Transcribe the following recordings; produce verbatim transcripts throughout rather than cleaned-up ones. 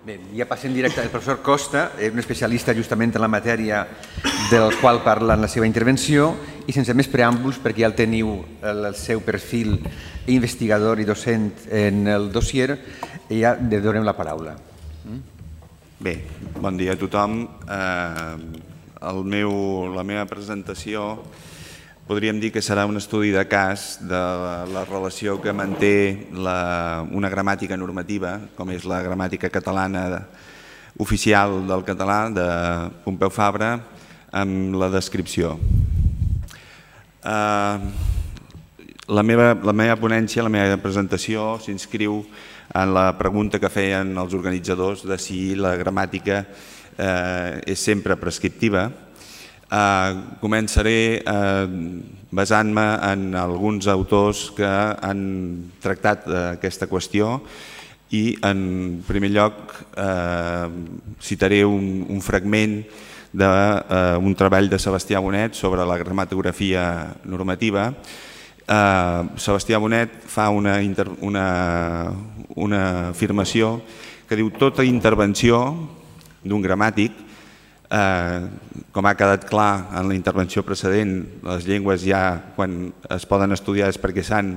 Bé, ja passem directe. El professor Costa és un especialista justament en la matèria del qual parla en la seva intervenció i sense més preàmbuls, perquè ja el teniu el seu perfil investigador i docent en el dossier, ja li donem la paraula. Bé, bon dia a tothom. El meu, la meva presentació podríem dir que serà un estudi de cas de la relació que manté la, una gramàtica normativa, com és la gramàtica catalana oficial del català de Pompeu Fabra, amb la descripció. Uh, la, meva, la meva ponència, la meva presentació s'inscriu en la pregunta que feien els organitzadors de si la gramàtica eh, és sempre prescriptiva. Uh, començaré uh, basant-me en alguns autors que han tractat uh, aquesta qüestió i en primer lloc uh, citaré un, un fragment d'un uh, treball de Sebastià Bonet sobre la gramatografia normativa. Uh, Sebastià Bonet fa una, inter, una, una afirmació que diu: tota intervenció d'un gramàtic, Eh, com ha quedat clar en la intervenció precedent, les llengües ja quan es poden estudiar és perquè s'han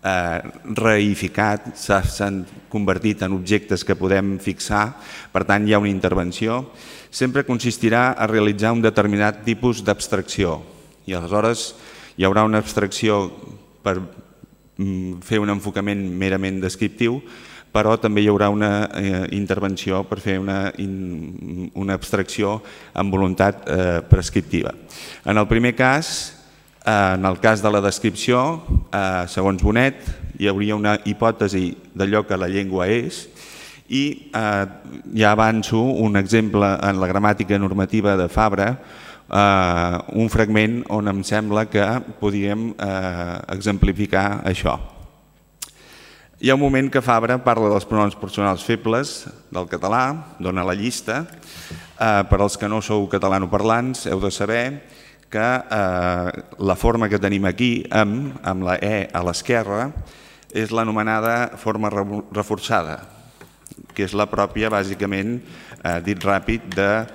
eh, reificat, s'han convertit en objectes que podem fixar, per tant hi ha una intervenció, sempre consistirà a realitzar un determinat tipus d'abstracció i aleshores hi haurà una abstracció per mm, fer un enfocament merament descriptiu, però també hi haurà una eh, intervenció per fer una, in, una abstracció amb voluntat eh, prescriptiva. En el primer cas, eh, en el cas de la descripció, eh, segons Bonet, hi hauria una hipòtesi d'allò que la llengua és i eh, ja avanço un exemple en la gramàtica normativa de Fabra, eh, un fragment on em sembla que podríem eh, exemplificar això. Hi ha un moment que Fabra parla dels pronoms personals febles del català, dona la llista. Per als que no sou catalanoparlants heu de saber que la forma que tenim aquí, amb, amb la E a l'esquerra, és l'anomenada forma reforçada, que és la pròpia, bàsicament, dit ràpid, de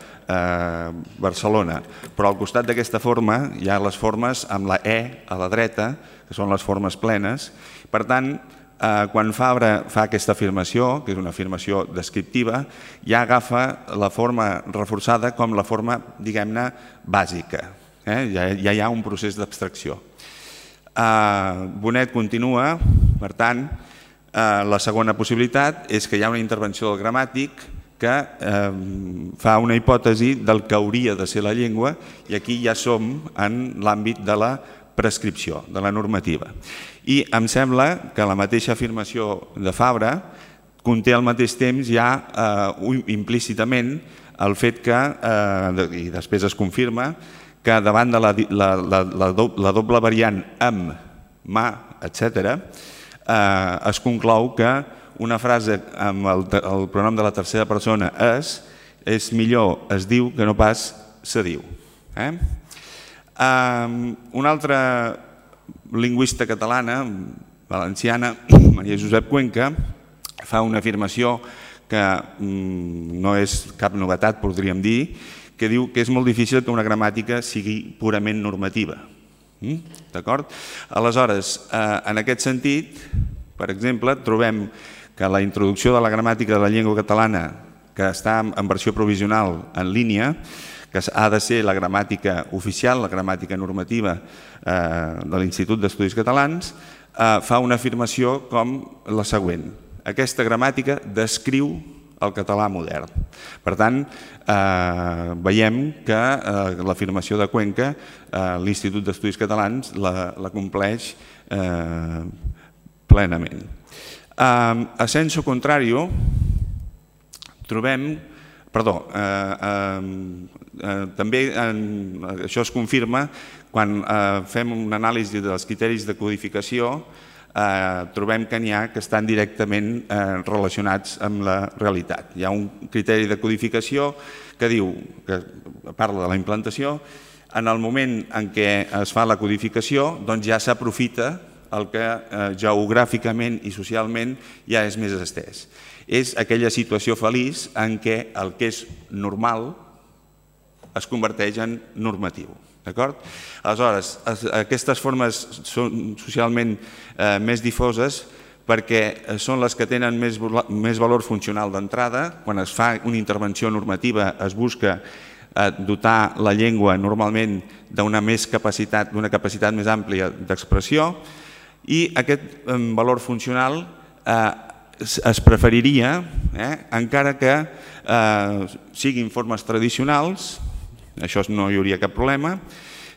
Barcelona. Però al costat d'aquesta forma hi ha les formes amb la E a la dreta, que són les formes plenes. Per tant, quan Fabra fa aquesta afirmació, que és una afirmació descriptiva, ja agafa la forma reforçada com la forma, diguem-ne, bàsica. Ja hi ha un procés d'abstracció. Bonet continua, per tant, la segona possibilitat és que hi ha una intervenció del gramàtic que fa una hipòtesi del que hauria de ser la llengua i aquí ja som en l'àmbit de la prescripció, de la normativa. I em sembla que la mateixa afirmació de Fabra conté al mateix temps ja implícitament el fet que, i després es confirma, que davant de la doble variant amb, ma, etcètera, es conclou que una frase amb el pronom de la tercera persona és, és millor es diu que no pas se diu. Una altra lingüista catalana, valenciana, Maria Josep Cuenca, fa una afirmació que no és cap novetat, podríem dir, que diu que és molt difícil que una gramàtica sigui purament normativa. D'acord? Aleshores, en aquest sentit, per exemple, trobem que la introducció de la gramàtica de la llengua catalana, que està en versió provisional en línia, que ha de ser la gramàtica oficial, la gramàtica normativa de l'Institut d'Estudis Catalans, fa una afirmació com la següent: aquesta gramàtica descriu el català modern. Per tant, veiem que l'afirmació de Cuenca, l'Institut d'Estudis Catalans la compleix plenament. A sensu contrario, trobem Perdó, també això es confirma quan fem una anàlisi dels criteris de codificació, trobem que n'hi ha que estan directament relacionats amb la realitat. Hi ha un criteri de codificació que diu, que parla de la implantació, en el moment en què es fa la codificació doncs ja s'aprofita el que geogràficament i socialment ja és més estès. és aquella situació feliç en què el que és normal es converteix en normatiu. Aleshores, aquestes formes són socialment més difoses perquè són les que tenen més valor funcional d'entrada. Quan es fa una intervenció normativa es busca dotar la llengua normalment d'una capacitat més àmplia d'expressió i aquest valor funcional es preferiria, encara que siguin formes tradicionals, això no hi hauria cap problema,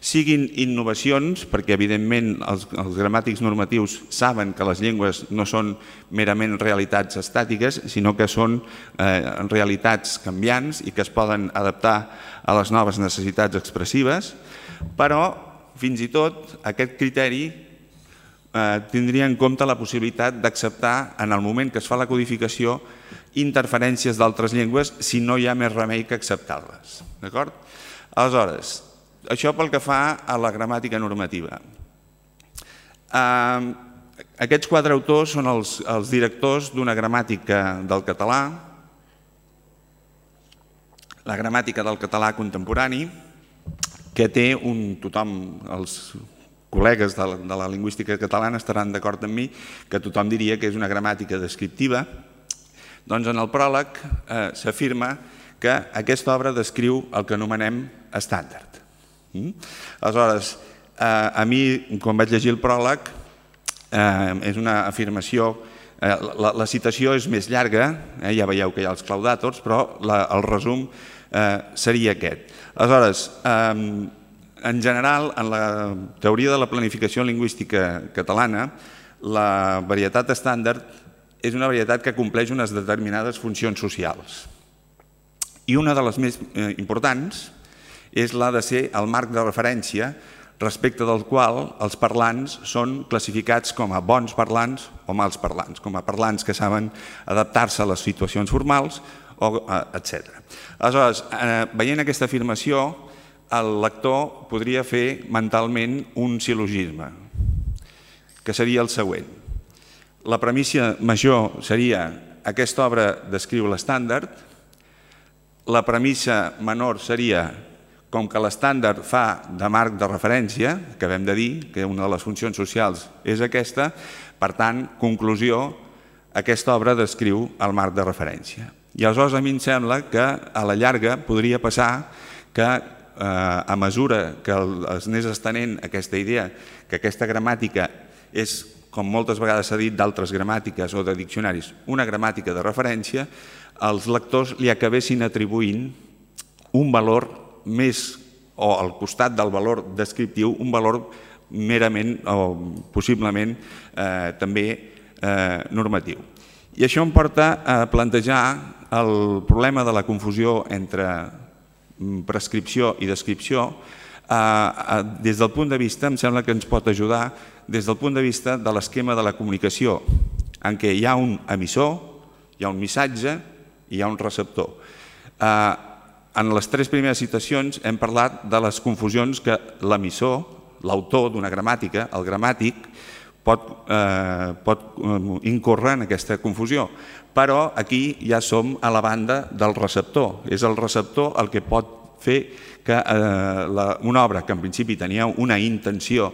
siguin innovacions, perquè evidentment els gramàtics normatius saben que les llengües no són merament realitats estàtiques, sinó que són realitats canviants i que es poden adaptar a les noves necessitats expressives, però fins i tot aquest criteri tindria en compte la possibilitat d'acceptar en el moment que es fa la codificació interferències d'altres llengües si no hi ha més remei que acceptar-les. Aleshores, això pel que fa a la gramàtica normativa. Aquests quatre autors són els directors d'una gramàtica del català, la gramàtica del català contemporani, que té un tothom, els col·legues de la lingüística catalana estaran d'acord amb mi, que tothom diria que és una gramàtica descriptiva. Doncs en el pròleg s'afirma que aquesta obra descriu el que anomenem estàndard. Aleshores, a mi, quan vaig llegir el pròleg, és una afirmació, la citació és més llarga, ja veieu que hi ha els claudàtors, però el resum seria aquest. Aleshores, en general, en la teoria de la planificació lingüística catalana, la varietat estàndard és una varietat que compleix unes determinades funcions socials. I una de les més importants és la de ser el marc de referència respecte del qual els parlants són classificats com a bons parlants o mals parlants, com a parlants que saben adaptar-se a les situacions formals, etcètera. Aleshores, veient aquesta afirmació, el lector podria fer mentalment un sil·logisme, que seria el següent. La premissa major seria aquesta obra descriu l'estàndard, la premissa menor seria com que l'estàndard fa de marc de referència, que acabem de dir que una de les funcions socials és aquesta, per tant, conclusió, aquesta obra descriu el marc de referència. I aleshores a mi em sembla que a la llarga podria passar que a mesura que es anés estenent aquesta idea que aquesta gramàtica és, com moltes vegades s'ha dit d'altres gramàtiques o de diccionaris, una gramàtica de referència, els lectors li acabessin atribuint un valor més, o al costat del valor descriptiu, un valor merament o possiblement també normatiu. I això em porta a plantejar el problema de la confusió entre prescripció i descripció. Des del punt de vista, em sembla que ens pot ajudar des del punt de vista de l'esquema de la comunicació, en què hi ha un emissor, hi ha un missatge i hi ha un receptor. En les tres primeres citacions hem parlat de les confusions que l'emissor, l'autor d'una gramàtica, el gramàtic, pot incórrer en aquesta confusió. Però aquí ja som a la banda del receptor. És el receptor el que pot fer que una obra que en principi tenia una intenció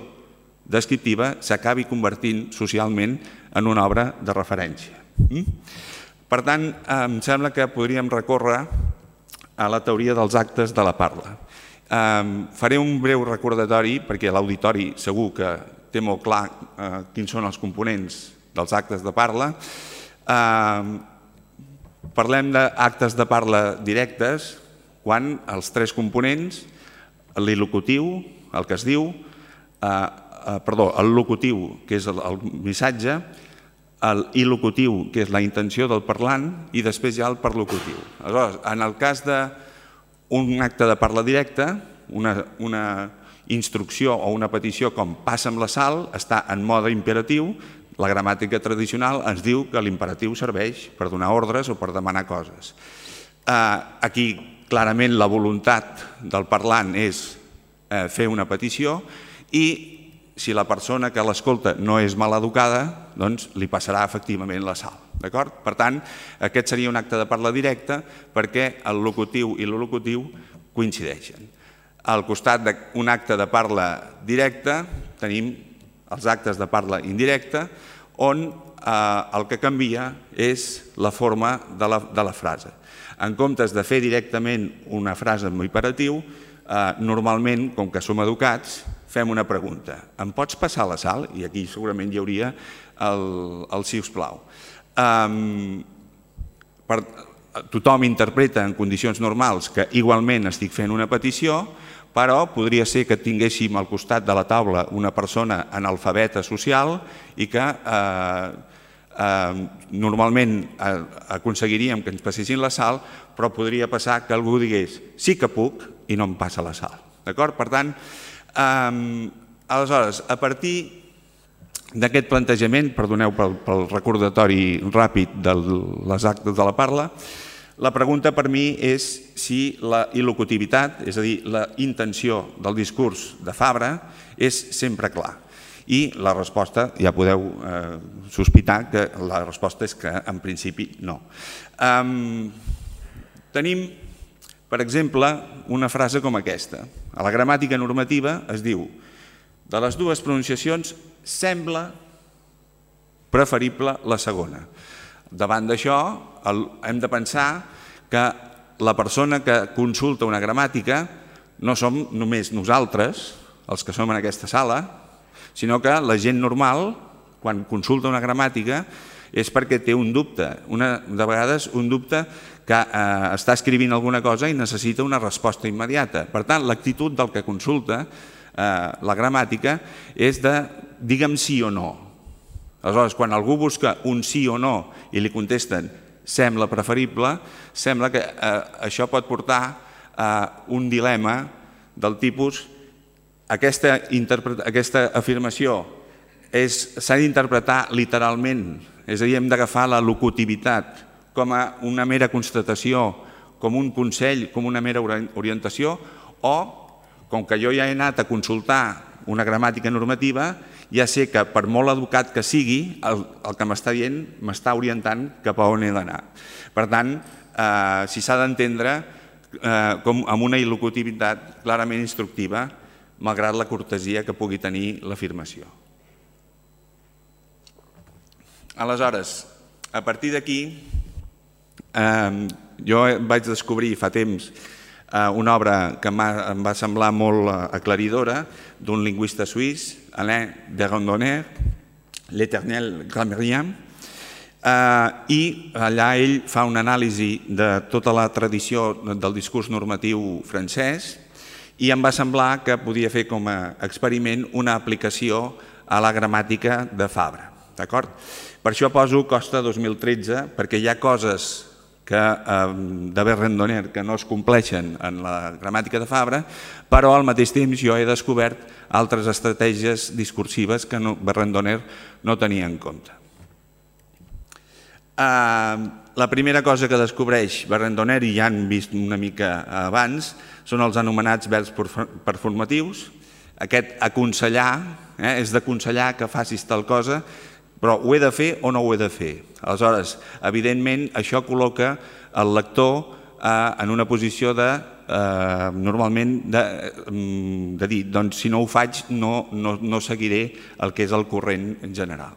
descriptiva s'acabi convertint socialment en una obra de referència. Per tant, em sembla que podríem recórrer a la teoria dels actes de la parla. Faré un breu recordatori, perquè l'auditori segur que té molt clar quins són els components dels actes de parla. Parlem d'actes de parla directes quan els tres components, l'ilocutiu, el que es diu, perdó, el locutiu, que és el missatge, l'il·locutiu, que és la intenció del parlant, i després hi ha el perlocutiu. Aleshores, en el cas d'un acte de parla directa, una instrucció o una petició com passa amb la sal està en mode imperatiu. La gramàtica tradicional ens diu que l'imperatiu serveix per donar ordres o per demanar coses. Aquí, clarament, la voluntat del parlant és fer una petició i si la persona que l'escolta no és mal educada, doncs li passarà efectivament la sal. Per tant, aquest seria un acte de parla directa perquè el locutiu i l'il·locutiu coincideixen. Al costat d'un acte de parla directa tenim els actes de parla indirecta, on el que canvia és la forma de la frase. En comptes de fer directament una frase amb imperatiu, normalment, com que som educats, fem una pregunta. Em pots passar la sal? I aquí segurament hi hauria el sisplau. Tothom interpreta en condicions normals que igualment estic fent una petició, però podria ser que tinguéssim al costat de la taula una persona analfabeta social i que normalment aconseguiríem que ens passessin la sal, però podria passar que algú digués sí que puc i no em passa la sal. Per tant, aleshores, a partir d'aquest plantejament, perdoneu pel recordatori ràpid de les actes de la parla, la pregunta per mi és si la il·locutivitat, és a dir, la intenció del discurs de Fabra, és sempre clar. I la resposta, ja podeu sospitar que la resposta és que en principi no. Tenim, per exemple, una frase com aquesta. A la gramàtica normativa es diu: de les dues pronunciacions sembla preferible la segona. Davant d'això hem de pensar que la persona que consulta una gramàtica no som només nosaltres, els que som en aquesta sala, sinó que la gent normal, quan consulta una gramàtica, és perquè té un dubte. De vegades un dubte que està escrivint alguna cosa i necessita una resposta immediata. Per tant, l'actitud del que consulta la gramàtica és de digue'm sí o no. Aleshores, quan algú busca un sí o no i li contesten sembla preferible, sembla que això pot portar a un dilema del tipus aquesta afirmació s'ha d'interpretar literalment, és a dir, hem d'agafar la locutivitat com a una mera constatació, com un consell, com una mera orientació, o, com que jo ja he anat a consultar una gramàtica normativa, ja sé que per molt educat que sigui, el que m'està dient m'està orientant cap a on he d'anar. Per tant, si s'ha d'entendre com amb una il·locutivitat clarament instructiva, malgrat la cortesia que pugui tenir l'afirmació. Aleshores, a partir d'aquí, jo vaig descobrir fa temps una obra que em va semblar molt aclaridora d'un lingüista suís, Alain de Randonner, L'Éternel Grammairien, i allà ell fa una anàlisi de tota la tradició del discurs normatiu francès i em va semblar que podia fer com a experiment una aplicació a la gramàtica de Fabra. Per això poso Costa dos mil tretze, perquè hi ha coses de Berrendonner que no es compleixen en la gramàtica de Fabra, però al mateix temps jo he descobert altres estratègies discursives que Berrendonner no tenia en compte. La primera cosa que descobreix Berrendonner, i ja han vist una mica abans, són els anomenats verbs performatius. Aquest aconsellar és d'aconsellar que facis tal cosa, però ho he de fer o no ho he de fer? Aleshores, evidentment, això col·loca el lector en una posició de, normalment, de dir, doncs si no ho faig no seguiré el que és el corrent general.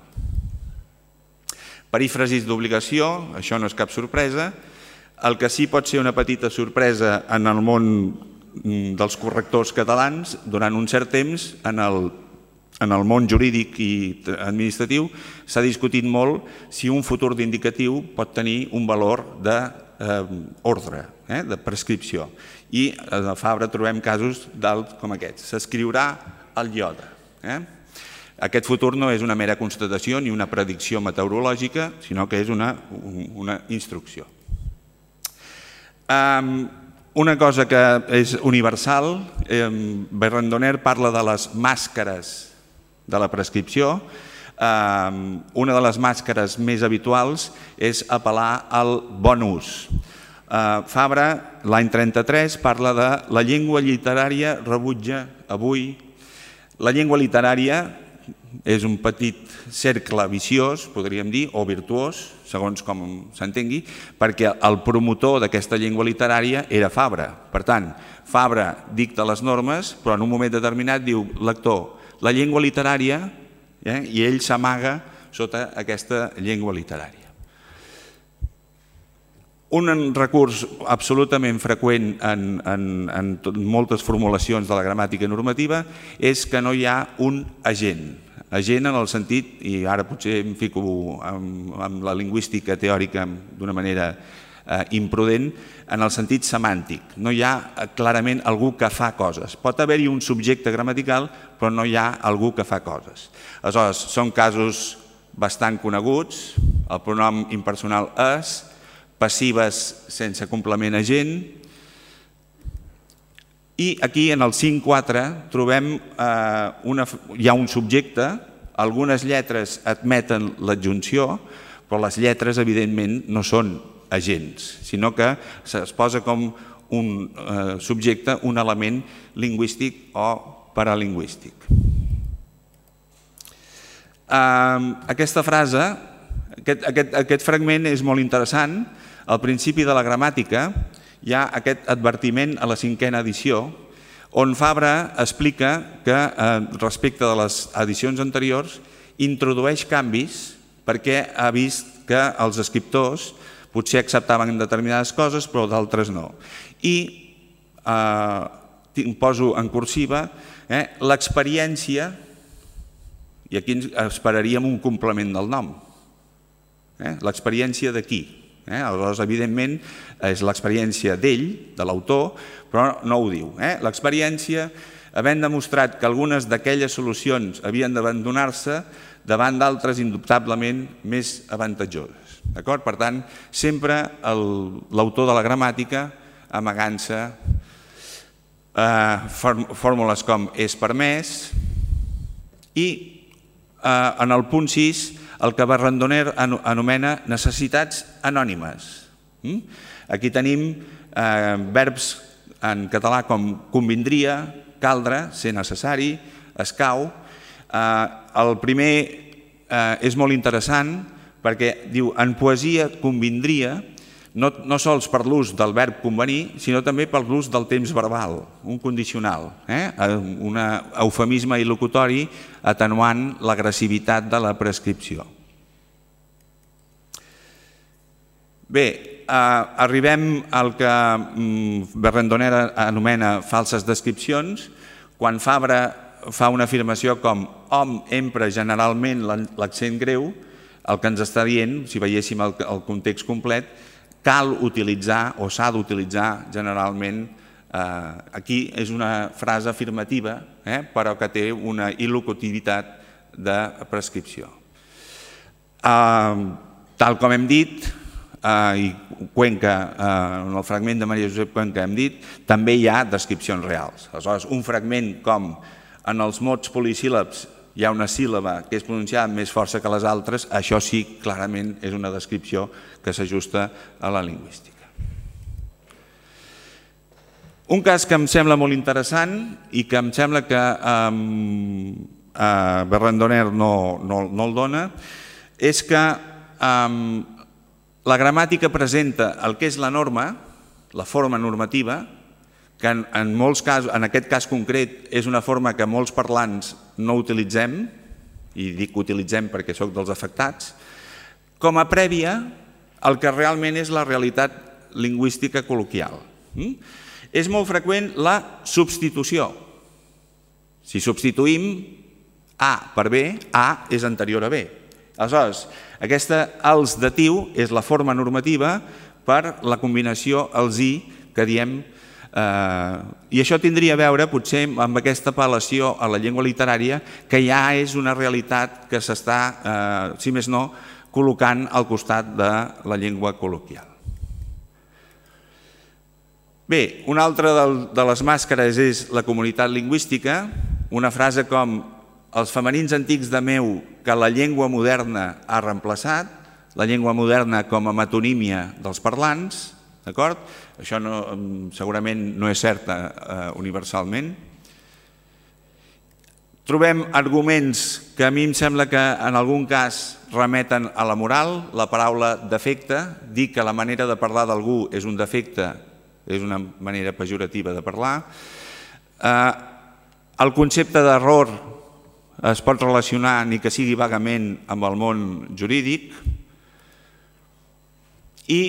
Perífrasis d'obligació, això no és cap sorpresa. El que sí pot ser una petita sorpresa en el món dels correctors catalans, durant un cert temps, en el En el món jurídic i administratiu s'ha discutit molt si un futur d'indicatiu pot tenir un valor d'ordre, de prescripció. I a Fabra trobem casos com aquests. S'escriurà el iode. Aquest futur no és una mera constatació ni una predicció meteorològica, sinó que és una instrucció. Una cosa que és universal, Berrendonner parla de les màscares de la prescripció. Una de les màscares més habituals és apel·lar al bon ús. Fabra, l'any trenta-tres, parla de la llengua literària rebutja avui. La llengua literària és un petit cercle viciós, podríem dir, o virtuós, segons com s'entengui, perquè el promotor d'aquesta llengua literària era Fabra. Per tant, Fabra dicta les normes, però en un moment determinat diu, lector, la llengua literària, eh, i ell s'amaga sota aquesta llengua literària. Un recurs absolutament freqüent en, en, en moltes formulacions de la gramàtica normativa és que no hi ha un agent. Agent en el sentit, i ara potser em fico amb, amb la lingüística teòrica d'una manera eh, imprudent, en el sentit semàntic. No hi ha clarament algú que fa coses. Pot haver-hi un subjecte gramatical, però no hi ha algú que fa coses. Aleshores, són casos bastant coneguts, el pronom impersonal és, passives sense complement agent, i aquí en el cinc quatre trobem eh, una, hi ha un subjecte, algunes lletres admeten l'adjunció, però les lletres evidentment no són agents, sinó que es posa com un eh, subjecte, un element lingüístic o paralingüístic. Eh, aquesta frase, aquest, aquest, aquest fragment és molt interessant. Al principi de la gramàtica hi ha aquest advertiment a la cinquena edició on Fabra explica que respecte de les edicions anteriors introdueix canvis perquè ha vist que els escriptors potser acceptaven determinades coses però d'altres no. I eh, poso en cursiva eh, l'experiència, i aquí esperaríem un complement del nom, eh, l'experiència de qui? Eh? Aleshores, evidentment, és l'experiència d'ell, de l'autor, però no ho diu. Eh? L'experiència, havent demostrat que algunes d'aquelles solucions havien d'abandonar-se davant d'altres indubtablement més avantatjoses. Per tant, sempre l'autor de la gramàtica amagant-se eh, fórmules com és permès i eh, en el punt sis el que Barrandoner anomena necessitats anònimes. Aquí tenim eh, verbs en català com convindria, caldre, ser necessari, escau. Eh, el primer eh, és molt interessant perquè diu en poesia convindria no, no sols per l'ús del verb convenir, sinó també per l'ús del temps verbal, un condicional, eh? un eufemisme il·locutori atenuant l'agressivitat de la prescripció. Bé, eh, arribem al que Barrandoner anomena falses descripcions. Quan Fabra fa una afirmació com hom empra generalment l'accent greu, el que ens està dient, si veiéssim el, el context complet, cal utilitzar o s'ha d'utilitzar generalment, eh, aquí és una frase afirmativa, eh, però que té una il·locutivitat de prescripció. Eh, tal com hem dit, eh, i Cuenca, eh, en el fragment de Maria Josep Cuenca hem dit, també hi ha descripcions reals. Aleshores, un fragment com en els mots polisíl·labs hi ha una síl·laba que és pronunciada amb més força que les altres, això sí, clarament és una descripció que s'ajusta a la lingüística. Un cas que em sembla molt interessant i que em sembla que eh, eh, Barrandoner no, no, no el dona és que eh, la gramàtica presenta el que és la norma, la forma normativa, que en, en, molts casos, en aquest cas concret és una forma que molts parlants no utilitzem, i dic utilitzem perquè sóc dels afectats, com a prèvia al que realment és la realitat lingüística col·loquial. Mm? És molt freqüent la substitució. Si substituïm A per B, A és anterior a B. Aleshores, aquesta els datiu és la forma normativa per la combinació els i que diem. I això tindria a veure potser amb aquesta apel·lació a la llengua literària que ja és una realitat que s'està, si més no, col·locant al costat de la llengua col·loquial. Bé, una altra de les màscares és la comunitat lingüística, una frase com els femenins antics de meu que la llengua moderna ha reemplaçat, la llengua moderna com a metonímia dels parlants, d'acord? Això no, segurament no és cert eh, universalment. Trobem arguments que a mi em sembla que en algun cas remeten a la moral. La paraula defecte, dir que la manera de parlar d'algú és un defecte, és una manera pejorativa de parlar. El concepte d'error es pot relacionar, ni que sigui vagament, amb el món jurídic. I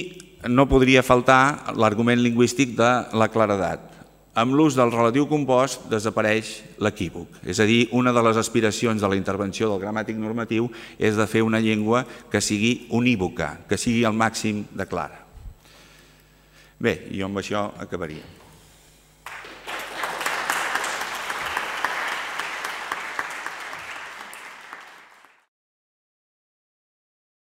no podria faltar l'argument lingüístic de la claredat. Amb l'ús del relatiu compost desapareix l'equívoc. És a dir, una de les aspiracions de la intervenció del gramàtic normatiu és de fer una llengua que sigui unívoca, que sigui al màxim de clara. Bé, jo amb això acabaria.